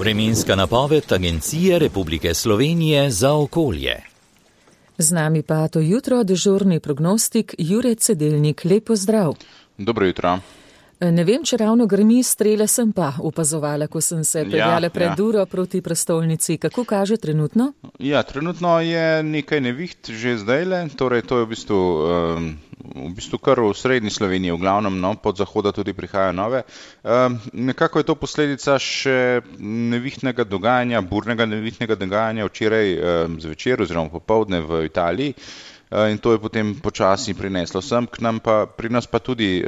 Vremenska napoved Agencije Republike Slovenije za okolje. Z nami pa to jutro dežurni prognostik Jure Cedelnik. Lep pozdrav. Dobro jutro. Ne vem, če ravno grmi, strele sem pa opazovala, ko sem se peljala pred uro proti prestolnici. Kako kaže trenutno? Ja, trenutno je nekaj neviht že zdajle, torej to je v bistvu kar v srednji Sloveniji, v glavnem, pod zahoda tudi prihajajo nove. Nekako je to posledica še nevihtnega dogajanja, burnega nevihtnega dogajanja včeraj zvečer oziroma popoldne v Italiji. In to je potem počasi prineslo sem k nam, pri nas pa tudi,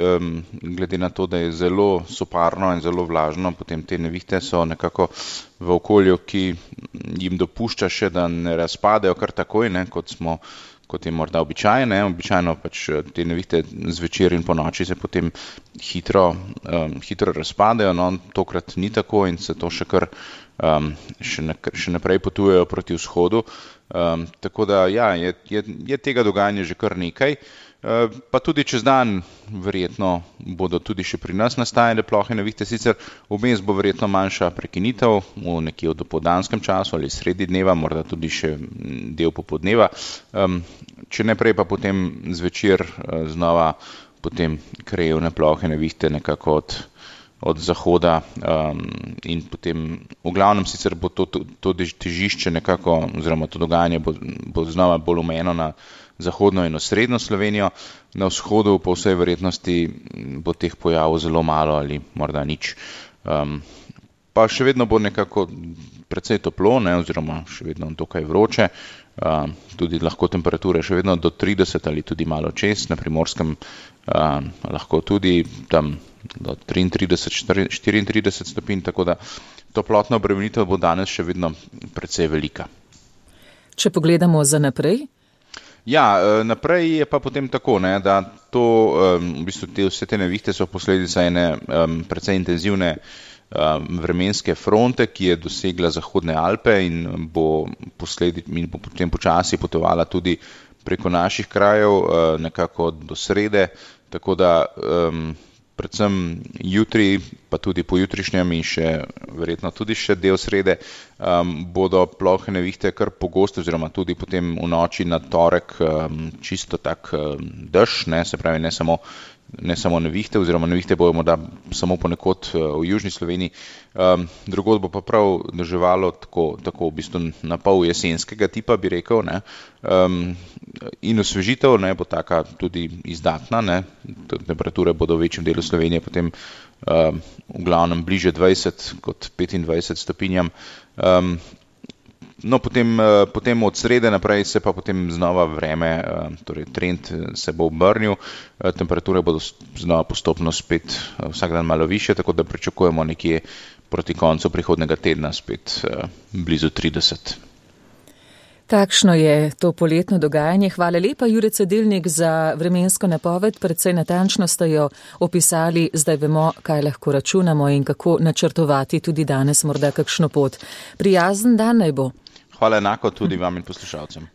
glede na to, da je zelo soparno in zelo vlažno, potem te nevihte so nekako v okolju, ki jim dopušča še, da ne razpadejo kar takoj, kot je morda običajno. Običajno pač te nevihte zvečer in po noči se potem hitro razpadejo, no tokrat ni tako in se to še kar še naprej potujejo proti vzhodu. Tako da ja, je tega dogajanja že kar nekaj, pa tudi čez dan verjetno bodo tudi še pri nas nastajale plohe nevihte, sicer vmes bo verjetno manjša prekinitev v nekje v dopoldanskem času ali sredi dneva, morda tudi še del popoldneva, če ne prej pa potem zvečer znova potem krajevne plohe nevihte nekako od zahoda in potem v glavnem sicer bo to težišče nekako, oziroma to dogajanje bo znova bolj omejeno na zahodno in osrednjo Slovenijo, na vzhodu po vsej verjetnosti bo teh pojavov zelo malo ali morda nič. Pa še vedno bo nekako precej toplo, oziroma še vedno dokaj vroče, tudi lahko temperature še vedno do 30 ali tudi malo čez, na Primorskem lahko tudi tam do 33, 34 stopinj, tako da toplotna obremenitev bo danes še vedno precej velika. Če pogledamo za naprej? Ja, naprej je pa potem tako, da to, v bistvu vse te nevihte so posledica ene precej intenzivne vremenske fronte, ki je dosegla Zahodne Alpe in bo potem počasi potovala tudi preko naših krajev nekako do srede, tako da predvsem jutri, pa tudi pojutrišnjem in še verjetno tudi še del srede, bodo plohe nevihte kar pogoste, oziroma tudi potem v noči na torek čisto tak dež, se pravi ne samo nevihte, oziroma nevihte bojo morda samo ponekod v južni Sloveniji, drugod bo pa prav deževalo tako v bistvu na pol jesenskega tipa, bi rekel, in osvežitev bo taka tudi izdatna, temperature bodo v večjem delu Slovenije potem v glavnem bliže 20 kot 25 stopinjam. No, potem od srede naprej se pa potem znova vreme, torej trend se bo obrnil, temperature bodo znova postopno spet vsak dan malo višje, tako da pričakujemo nekje proti koncu prihodnega tedna spet blizu 30. Takšno je to poletno dogajanje. Hvala lepa, Jure Cedelnik, za vremensko napoved. Precej natančno ste jo opisali, zdaj vemo, kaj lahko računamo in kako načrtovati tudi danes morda kakšno pot. Prijazen dan naj bo. Hvala enako tudi vam in poslušalcem.